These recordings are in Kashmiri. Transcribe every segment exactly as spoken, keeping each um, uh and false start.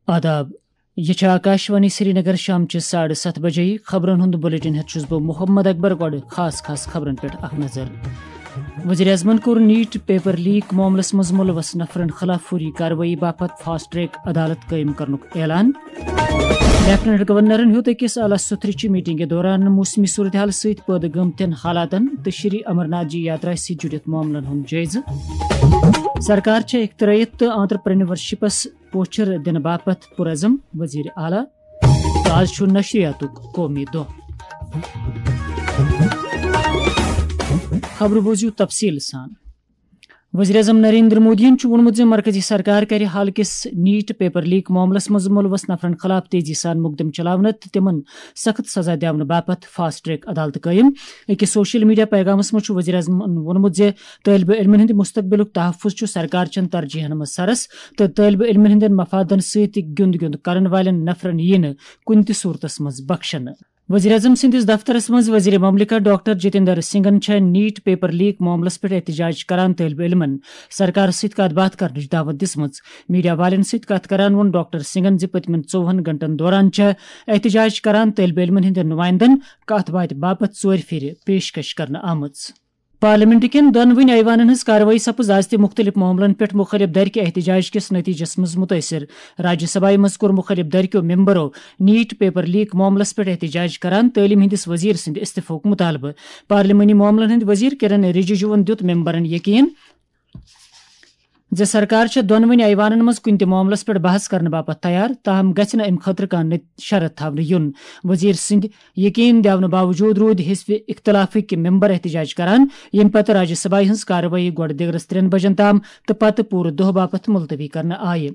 آداب۔ یہ چھِ آکاشوانی سرینگر۔ شامچہِ ساڑٕ ستھ بجے خبرن ہُنٛد بلیٹن ہیتھ چھُس بہٕ محمد اکبر۔ گۄڈٕ خاص خاص خبرن پٮ۪ٹھ اکھ نظر۔ وزیر اعظمن کوٚر نیٹ پیپر لیک معاملس منٛز ملوث نفرن خلاف فوری کاروٲیی باپتھ فاسٹ ٹریک عدالت قٲیِم کرنُک اعلان۔ لیفٹیننٹ گورنرن ہیوٚت أکِس اعلیٰ سطحٕچہِ میٹنگہِ دوران موسمی صورتحال سۭتۍ پٲدٕ گٔمتٮ۪ن حالاتن تہٕ شری امرناتھ جی یاترا سۭتۍ جُڑِتھ معاملن ہُنٛد جٲیزٕ۔ سرکار چھےٚ اختراعیت تہٕ آنترپرینورشپس پوچھر دِنہٕ باپتھ پُرعزم، وزیر اعلیٰ۔ تہٕ آز چھُ نشریاتُک قومی دۄہ۔ خبرٕ بوٗزِو تفصیٖل سان۔ وزیر اعظم نریندر مودیَن چھُ ووٚنمُت زِ مرکزی سرکار کرِ حال کِس نیٹ پیپر لیک معاملس منٛز ملوث نفرن خلاف تیزی سان مقدمہٕ چلاونہٕ تہٕ تِمن سخت سزا دِنہٕ باپتھ فاسٹ ٹریک عدالت قٲیِم۔ أکِس سوشل میڈیا پیغامس منٛز چھُ وزیر اعظمن ووٚنمُت زِ طٲلبہِ علمن ہٕنٛدِ مستقبلُک تحفظ چھُ سرکار چٮ۪ن ترجیحن منٛز سرس تہٕ طٲلبہِ علمن ہٕنٛدٮ۪ن مفادن سۭتۍ گیُنٛد گیُنٛد کرن والٮ۪ن نفرن یِیہِ نہٕ کُنہِ تہِ صورتس منٛز بخشنہٕ۔ وزیر اعظم سٕنٛدِس دفترس منٛز وزیر مملکت ڈاکٹر جتیندر سنگھن چھےٚ نیٹ پیپر لیک معاملس پٮ۪ٹھ احتجاج کران طٲلبہِ علمن سرکارس سۭتۍ کتھ باتھ کرنٕچ دعوت دِژمٕژ۔ میڈیا والٮ۪ن سۭتۍ کتھ کران ووٚن ڈاکٹر سنگھن زِ پٔتمٮ۪ن ژووُہن گھنٹن دوران چھےٚ احتجاج کران طٲلبہِ علمن ہٕنٛدٮ۪ن نُمایندن کتھ باتھِ باپتھ ژورِ پھِرِ پیشکش کرنہٕ آمٕژ۔ پارلیمنٹ کٮ۪ن دۄنوٕنی ایوانن ہٕنٛز کاروٲیی سپٕز آز تہِ مُختٔلِف معاملن پٮ۪ٹھ مُخٲلِف دھرِ کہِ احتجاج کِس نتیجس منٛز مُتٲثِر۔ راجیہ سبھایہ منٛز کوٚر مُخٲلِف دھرِ کیو ممبرو نیٹ پیپر لیک معاملس پٮ۪ٹھ احتجاج کران تعلیٖم ہٕنٛدِس وزیر سٕنٛدِ استعفہُک مُطالبہٕ۔ پارلیمانی معاملن ہٕنٛدۍ وزیر کرن رجیجوَن دیُت ممبرن یقین زِ سرکار چھےٚ دۄنوٕنی ایوانن منٛز کُنہِ تہِ معاملس پٮ۪ٹھ بحث کرنہٕ باپتھ تیار، تاہم گژھِ نہٕ امہِ خٲطرٕ کانٛہہ نت-، شرط تھاونہٕ یُن۔ وزیر سٕنٛدِ یقین دِونہٕ باوجود روٗدۍ حزب اختلافٕکۍ ممبر احتجاج کران، ییٚمہِ پتہٕ راجیہ سبھایہ ہٕنٛز کاروٲیی گۄڈٕ دِگرس ترٛٮ۪ن بجن تام تہٕ پتہٕ پوٗرٕ دۄہ باپتھ ملتوی کرنہٕ آیہِ۔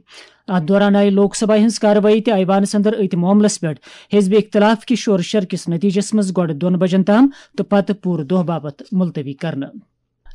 اتھ دوران آیہِ لوک سبھایہ ہٕنٛز کاروٲیی تہِ ایوانس اندر أتھۍ معاملس پٮ۪ٹھ حزب اختلاف کہِ شور شر کِس نتیجس منٛز گۄڈٕ دۄن بجن تام تہٕ پتہٕ پوٗرٕ دۄہ باپتھ ملتوی کرنہٕ۔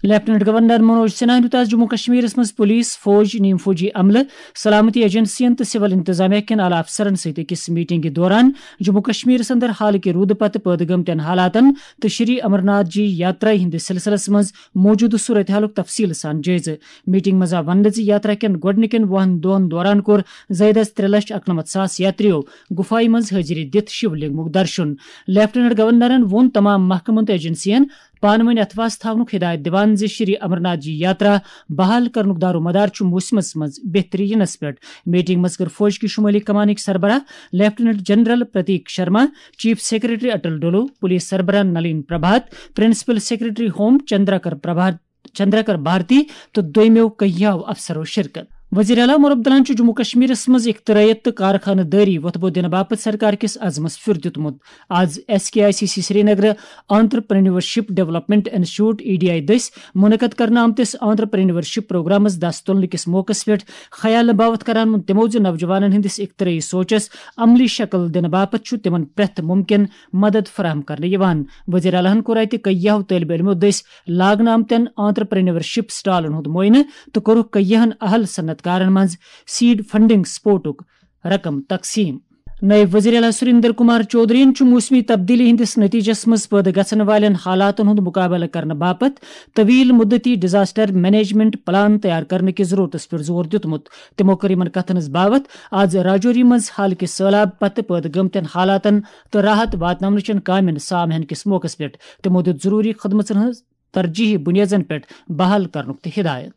لیفٹیننٹ گورنر منوج سنہاہن دیُت آز جموں کشمیرس منٛز پولیس، فوج، نیم فوجی عملہٕ، سلامتی ایجنسین تہٕ سول انتظامیہ کٮ۪ن اعلیٰ افسرن سۭتۍ أکِس میٹنگہِ دوران جموں کشمیرس اندر حالٕکہِ روٗدٕ پتہٕ پٲدٕ گٔمتٮ۪ن حالاتن تہٕ شری امرناتھ جی یاترا ہٕنٛدِس سلسلس منٛز موجودٕ صورتحالُک تفصیٖل سان جٲیزٕ۔ میٹنگ منٛز آو وننہٕ زِ یاترا کٮ۪ن گۄڈٕنِکٮ۪ن وُہن دۄہن دوران کوٚر زٲیدس ترٛےٚ لچھ اَکنَمَتھ ساس یاتریو گُفایہِ منٛز حٲضری دِتھ شِو لنگمُک درشُن۔ لیفٹیننٹ گورنرن ووٚن تمام محکمن تہٕ ایجنسین پانہٕ ؤنۍ اتھواس تھاونُک ہدایت دِوان زِ شری امرناتھ جی یاترا بحال کرنُک دارومدار چھُ موسمس منٛز بہتری یِنس پٮ۪ٹھ۔ میٹنگ منٛز کٔر فوج کہِ شمٲلی کمانٕکۍ سربراہ lieutenant general Pratik Sharma, chief secretary Atal Dulloo, police سربراہ Nalin Prabhat, principal secretary home Chandraker Prabhat, Chandraker Bharti تہٕ دوٚیمیو کیہو افسرو شرکت۔ وزیر اعلیٰ عمر عبداللہن چھُ جموں کشمیرس منٛز اختراعیت تہٕ کارخانہٕ دٲری وۄتھٕ بوٚد دِنہٕ باپتھ سرکار کِس عزمس پھیُر دیُتمُت۔ آز S K I C C Srinagar entrepreneurship development institute, E D I, دٔسۍ منعقد کرنہٕ آمتِس آنترپرینیورشپ پروگرامس دس تُلنہٕ کِس موقعس پٮ۪ٹھ خیال باوتھ کران ووٚن تِمو زِ نوجوانن ہٕنٛدِس اختراعی سونچس عملی شکل دِنہٕ باپتھ چھُ تِمن پرٛٮ۪تھ مُمکِن مدد فراہم کرنہٕ یِوان۔ وزیر اعلیٰ ہن کوٚر اتہِ کیہو طٲلبہِ علمو دٔسۍ لاگنہٕ آمتٮ۪ن آنترپرینیورشپ سٹالن ہُنٛد معائنہٕ تہٕ کوٚرُکھ کیہن اہل صنعت کارن منٛز سیڈ فنڈنگ سپورٹُک رقم تقسیٖم۔ نٲیِب وزیر اعلیٰ سریندر کمار چودھرین چھُ موسمی تبدیلی ہٕنٛدِس نتیجس منٛز پٲدٕ گژھن والٮ۪ن حالاتن ہُنٛد مُقابلہٕ کرنہٕ باپتھ طویل مدتی ڈیزاسٹر مینجمنٹ پلان تیار کرنہٕ کِس ضرورتس پٮ۪ٹھ زور دیُتمُت۔ تِمو کٔر یِمن کتھن ہٕنٛز باوتھ آز راجوری منٛز حال کہِ سٲلاب پتہٕ پٲدٕ گٔمتٮ۪ن حالاتن تہٕ راحت واتناونہٕ چٮ۪ن کامٮ۪ن سام ہینہٕ کِس موقعس پٮ۪ٹھ۔ تِمو دیُت ضروٗری خدمژن ہٕنٛز ترجیحی بُنیٲدن پٮ۪ٹھ بحال کرنُک تہِ ہدایت۔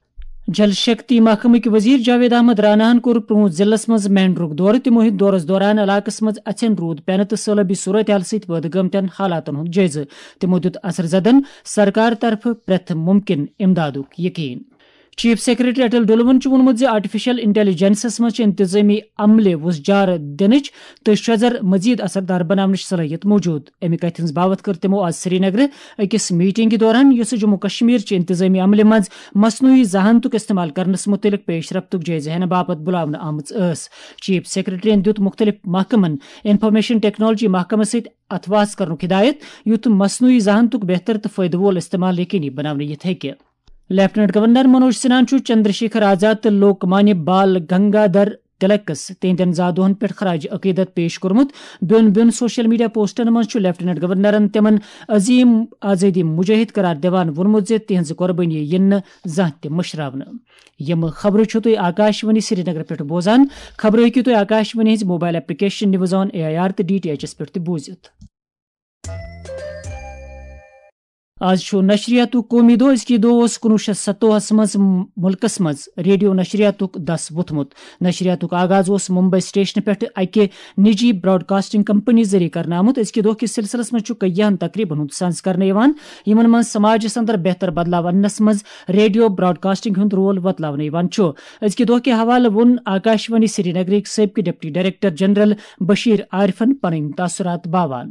جل شکتی محکمٕکۍ وزیر جاوید احمد راناہن کوٚر پرٛون ضلعس منٛز مینڈرُک دورٕ۔ تِمو ہیٚتۍ دورس دوران علاقس منٛز اَژھٮ۪ن روٗد پٮ۪نہٕ تہٕ سٲلٲبی صورتحال سۭتۍ پٲدٕ گٔمتٮ۪ن حالاتن ہُنٛد جٲیزٕ۔ تِمو دیُت اثر زدن سرکار طرفہٕ پرٛٮ۪تھ مُمکِن امدادُک یقین۔ چیف سیکرٹری اٹل ڈلوَن چھُ ووٚنمُت زِ آرٹیفیشل انٹیلیجنسس منٛز چھِ انتظٲمی عملہِ وُژھ جار دِنٕچ تہٕ شۄزر مزید اثر دار بناونٕچ صلٲحیت موجود۔ اَمہِ کتھِ ہٕنٛز باوتھ کٔر تِمو آز سرینگرٕ أکِس میٹنگہِ دوران، یۄسہٕ جموں کشمیر چہِ انتظٲمی عملہِ منٛز مصنوعی ذہانتُک استعمال کرنس مُتعلق پیش رفتُک جٲیزٕ ہینہٕ باپتھ بُلاونہٕ آمٕژ ٲس۔ چیف سیکرٹریَن دیُت مُختٔلِف محکمن انفارمیشن ٹیکنالوجی محکمس سۭتۍ اتھواس کرنُک ہدایت، یُتھ مصنوعی ذہانتُک بہتر تہٕ فٲیدٕ وول استعمال یقینی بناونہٕ یِتھ ہیٚکہِ۔ لیفٹیننٹ گورنر منوج سنہاہن چھُ چندر شیکھر آزاد تہٕ لوک مانیہ بال گنگادھر تلکس تہنٛدٮ۪ن زا دۄہن پٮ۪ٹھ خراج عقیدت پیش کوٚرمُت۔ بیوٚن بیوٚن سوشل میڈیا پوسٹن منٛز چھُ لیفٹیننٹ گورنرن تِمن عظیم آزٲدی مجاہد قرار دِوان ووٚنمُت زِ تِہنٛز قۄربٲنی یِن نہٕ زانٛہہ تہِ مٔشراونہٕ۔ یِم خبرٕ چھِو تُہۍ آکاشوانی سرینگر پٮ۪ٹھ بوزان۔ خبرٕ ہیٚکِو تُہۍ آکاشوانی ہٕنٛزِ mobile application news on A I R تہٕ ڈی ٹی ایچ ایس پٮ۪ٹھ تہِ بوٗزِتھ۔ آز چھُ نشریاتُک قومی دۄہ۔ أزکہِ دۄہ اوس کُنوُہ شیٚتھ ستووُہس منٛز مُلکس منٛز ریڈیو نشریاتُک دس ووٚتھمُت۔ نشریاتُک آغاز اوس ممبئی سٹیشنہٕ پٮ۪ٹھٕ اکہِ نجی براڈکاسٹنگ کمپنی ذٔریعہٕ کرنہٕ آمُت۔ أزکہِ دۄہ کِس سلسلس منٛز چھُ کیاہن تقریبن ہُنٛد سنز کرنہٕ یِوان، یِمن منٛز سماجس اندر بہتر بدلاو اننس منٛز ریڈیو براڈکاسٹنگ ہُنٛد رول وۄتلاونہٕ یِوان چھُ۔ أزکہِ دۄہ کہِ حوالہٕ ووٚن آکاشوانی سرینگرٕکۍ سٲبقہٕ ڈپٹی ڈائریکٹر جنرل بشیر عارفن پنٕنۍ تاثرات باوان۔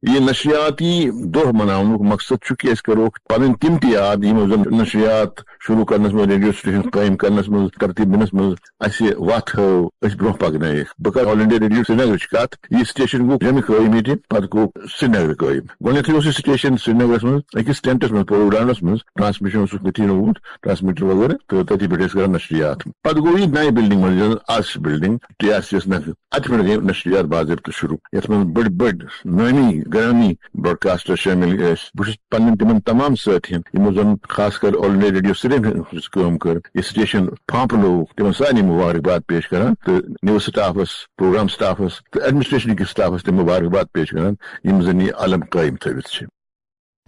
یہِ نشریاتی دۄہ مناونُک مقصد چھُ کہِ أسۍ کرو پنٕنۍ تِم تہِ یاد، یِمو زن نشریات شروع کرنس منٛز، ریڈیو سٹیشن قٲیِم کرنس منٛز، ترتیب دِنس منٛز اسہِ وتھ ہٲو، أسۍ برونٛہہ پکنٲیِکھ۔ بہٕ کرٕ آل انڈیا ریڈیو سرینگرٕچ کتھ۔ یہِ سٹیشن گوٚو جمہِ قٲیِم ییٚتہِ، پتہٕ گوٚو سرینگرٕ قٲیِم۔ گۄڈٕنیتھٕے اوس یہِ سٹیشن سرینگرس منٛز أکِس ٹینٹس منٛز، پولو گراؤنڈس منٛز۔ ٹرانسمیشن اوسُکھ تٔتی لوگمُت، ٹرانسمیٹر وغٲرٕ، تہٕ تٔتی پٮ۪ٹھ ٲسۍ کران نشریات۔ پتہٕ گوٚو یہِ نَیہِ بلڈنگ منٛز، یۄس آز چھِ بلڈنگ ٹی آر سی یس نکھٕ۔ اتہِ پٮ۪ٹھ گٔے نشریات باضٲبطہٕ شروع، یتھ منٛز بٔڑۍ بٔڑۍ نٲمی گرامی براڈکاسٹر شٲمِل ٲسۍ۔ بہٕ چھُس پننٮ۪ن تِمن تمام سٲتھین، یِمو زن خاص کر آل انڈیا ریڈیو سرینگرس کٲم کٔر، یہِ سٹیشن پھانپہٕ لوٚگ، تِمن سارنٕے مبارکباد پیش کران تہٕ نیوز سٹافس، پروگرام سٹافس تہٕ ایڈمنسٹریشن کِس سٹافس تہِ مبارکباد پیش کران، یِم زن یہِ علم قٲیِم تھٲوِتھ چھِ۔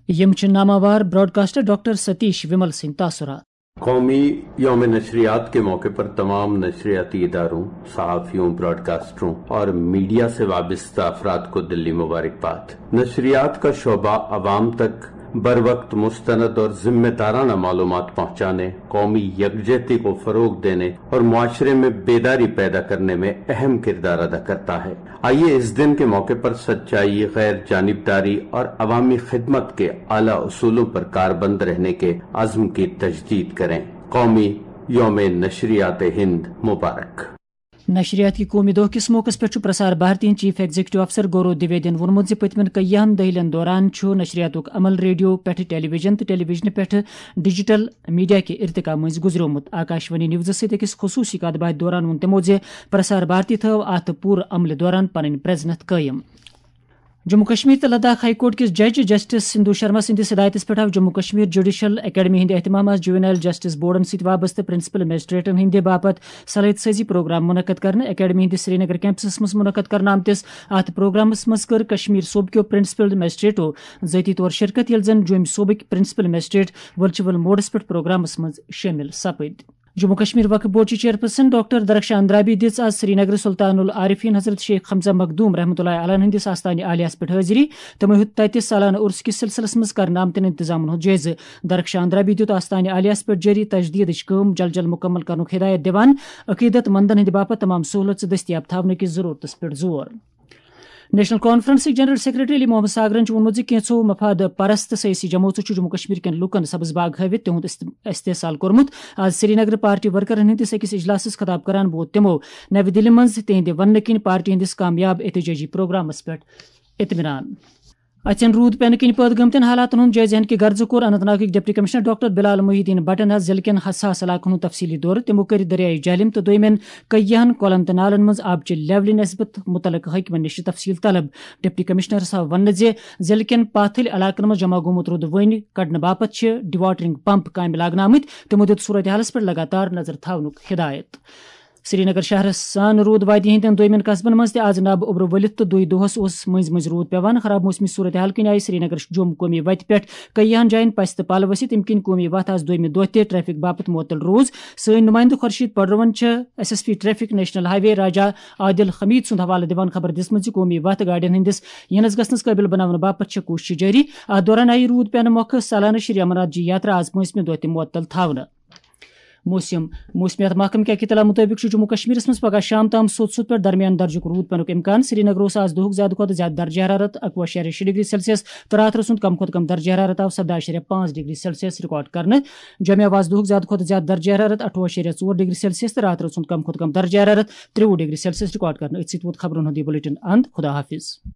یِم چھِ ناماوار براڈکاسٹر ڈاکٹر ستیش ومل سٕنٛدۍ تاثرات۔ قومی یوم نشریات کے موقع پر تمام نشریاتی اداروں، صحافیوں، براڈکاسٹروں اور میڈیا سے وابستہ افراد کو دلی مبارکباد۔ نشریات کا شعبہ عوام تک بر وقت مستند اور ذمہ دارانہ معلومات پہنچانے، قومی یکجہتی کو فروغ دینے اور معاشرے میں بیداری پیدا کرنے میں اہم کردار ادا کرتا ہے۔ آئیے اس دن کے موقع پر سچائی، غیر جانبداری اور عوامی خدمت کے اعلیٰ اصولوں پر کاربند رہنے کے عزم کی تجدید کریں۔ قومی یوم نشریات ہند مبارک۔ نشریات کہِ قومی دۄہ کِس موقعس پٮ۪ٹھ چھُ پرسار بھارتی ہٕنٛدۍ چیف ایگزیکٹو افسر گورو دویدین ووٚنمُت زِ پٔتمٮ۪ن کیاہن دٔہلٮ۪ن دوران چھُ نشریاتُک عمل ریڈیو پٮ۪ٹھٕ ٹیلی ویژن تہٕ ٹیلی ویژنہٕ پٮ۪ٹھٕ ڈیجیٹل میڈیا کہِ ارتقا مٔنٛزۍ گُزریومُت۔ آکاشوانی نیوزس سۭتۍ أکِس خصوٗصی کتھ باتھِ دوران ووٚن تِمو زِ پرسار بھارتی تھٲو اتھ پوٗرٕ عملہِ دوران پنٕنۍ پرزنتھ قٲیِم۔ جموں کشمیر تہٕ لداخ ہائی کورٹ کِس جج جسٹس سندھو شرما سٕنٛدِس ہدایتس پٮ۪ٹھ آو جموں کشمیر جوڈیشل اکیڈمی ہٕنٛدِ اہتمام آز جوینائل جسٹس بورڈن سۭتۍ وابستہٕ پرنسپل میجسٹریٹن ہٕنٛدِ باپتھ صلٲحیت سازی پروگرام منعقد کرنہٕ۔ اکیڈمی ہٕنٛدِس سرینگر کیمپسس منٛز منعقد کرنہٕ آمتِس اتھ پروگرامس منٛز کٔر کشمیر صوبہٕ کیو پرنسپل میجسٹریٹو ذٲتی طور شرکت، ییٚلہِ زن جوٚمۍ صوبٕکۍ پرنسپل میجسٹریٹ ورچوئل موڈس پٮ۪ٹھ پروگرامس منٛز شٲمِل سپٕدۍ۔ جموں کشمیر وقف بورڈ چہِ چیئرپرسن ڈاکٹر درخشان اندرابی دِژ آز سرینگرٕ سلطان العارفین حضرت شیخ حمزہ مخدوم رحمتہ اللہ علیہ ہٕنٛدِس آستانہِ عالیہس پٮ۪ٹھ حٲضری۔ تِمو ہیوٚت تتہِ سالانہٕ عرس کِس سلسلس منٛز کرنہٕ آمتٮ۪ن انتظامن ہُنٛد جٲیزٕ۔ درخشان اندرابی دِیُت آستانہِ عالیہس پٮ۪ٹھ جٲری تجدیدٕچ کٲم جل جل مکمل کرنُک ہدایت دِوان عقیدت مندن ہٕنٛدِ باپتھ تمام سہولژٕ دٔستیاب تھاونہٕ کِس ضرورتس پٮ۪ٹھ زور۔ نیشنل کانفرنسٕکۍ جنرل سیکرٹری علی محمد ساگرن چھُ ووٚنمُت زِ کینٛژھو مفاد پرست سیٲسی جمٲژو چھُ جموں کشمیر کٮ۪ن لوٗکن سبز باغ ہٲوِتھ تِہُنٛد است-، استحصال کوٚرمُت۔ آز سرینگرٕ پارٹی ورکرن ہٕنٛدِس أکِس اجلاسس خطاب کران ووت تِمو نَوِ دِلہِ منٛز تِہنٛدِ وننہٕ کِنۍ پارٹی ہٕنٛدِس کامیاب احتجاجی پروگرامس پٮ۪ٹھ اطمینان۔ اَژٮ۪ن روٗد پٮ۪نہٕ کِنۍ پٲدٕ گٔمتٮ۪ن حالاتن ہُنٛد جٲیزٕ ہینہٕ کہِ غرضہٕ کوٚر اننت ناگٕکۍ ڈپٹی کمشنر ڈاکٹر بلال محی الدین بٹن آز ضلعہٕ کٮ۪ن حساس علاقن ہُنٛد تفصیلی دورٕ۔ تِمو کٔرۍ دریائے جہلم تہٕ دویمٮ۪ن کیاہن کۄلن تہٕ نالن منٛز آبچہِ لیولہِ نسبت متعلقہٕ حٲکمن نِش تفصیل طلب۔ ڈپٹی کمشنرس آو وننہٕ زِ ضلعہٕ کٮ۪ن پاتھٕلۍ علاقن منٛز جمع گوٚمُت روٗد وۄنۍ کڑنہٕ باپتھ چھِ ڈیواٹرنگ پمپ کامہِ لاگنہٕ آمٕتۍ۔ تِمو دِیُت صورتحالس پٮ۪ٹھ لگاتار نظر تھاونُک ہدایت۔ سرینگر شہرس سان روٗد وادی ہٕنٛدٮ۪ن دویمٮ۪ن قصبن منٛز تہِ آز نب اوٚبرٕ ؤلِتھ تہٕ دۄہے دۄہس اوس مٔنٛزۍ مٔنٛزۍ روٗد پٮ۪وان۔ خراب موسمی صورتحال کِنۍ آیہِ سرینگر جوٚم قومی وتہِ پٮ۪ٹھ کیاہن جاین پسہِ تہٕ پل ؤسِتھ، ییٚمہِ کِنۍ قومی وتھ آز دویمہِ دۄہ تہِ ٹریفک باپتھ معطل روٗز۔ سٲنۍ نُمٲیندٕ خورشید پڈروَن چھِ S S P traffic national highway Raja Adil Hamid سُنٛد حوالہٕ دِوان خبر دِژمٕژ زِ قومی وتھ گاڑٮ۪ن ہٕنٛدِس یِنس گژھنس قٲبِل بناونہٕ باپتھ چھےٚ کوٗشش جٲری۔ اتھ دوران آیہِ روٗد پٮ۪نہٕ مۄکھٕ سالانہٕ شری امرناتھ جی یاترا آز پٲنٛژمہِ دۄہ تہِ معطل تھاونہٕ۔ موسم۔ موسمیات محکمہٕ کہِ اطلاع مُطٲبِق چھُ جموں کشمیرس منٛز پگہہ شام تام سوٚت سوٚت پٮ۪ٹھ درمیان درجُک روٗد پٮ۪نُک امکان۔ سرینگرٕ اوس آز دُہُک زیادٕ کھۄتہٕ زیادٕ درجہٕ حرارت اَکوُہ اَشاریہ شےٚ ڈگری سیلسیس تہٕ راتھ رٲژ ہُنٛد کم کھۄتہٕ کم درجہٕ حرارت آو سَداہ اَشاریہ پانٛژھ ڈگری سیلسیس رِکارڈ کرنہٕ۔ جوٚمہِ آو آز دُہُک زیادٕ کھۄتہٕ زیادٕ درجہٕ حرارت اَٹھوُہ اَشاریہ ژور ڈگری سیلسیس تہٕ راتھ رٲژ ہُنٛد کم کھۄتہٕ کم درجہٕ حرارت ترٛوُہ ڈگری سیلسیس رِکارڈ کرنہٕ۔ أتھۍ سۭتۍ ووت خبرن ہُنٛد یہِ بلیٹن اند۔ خدا حافظ۔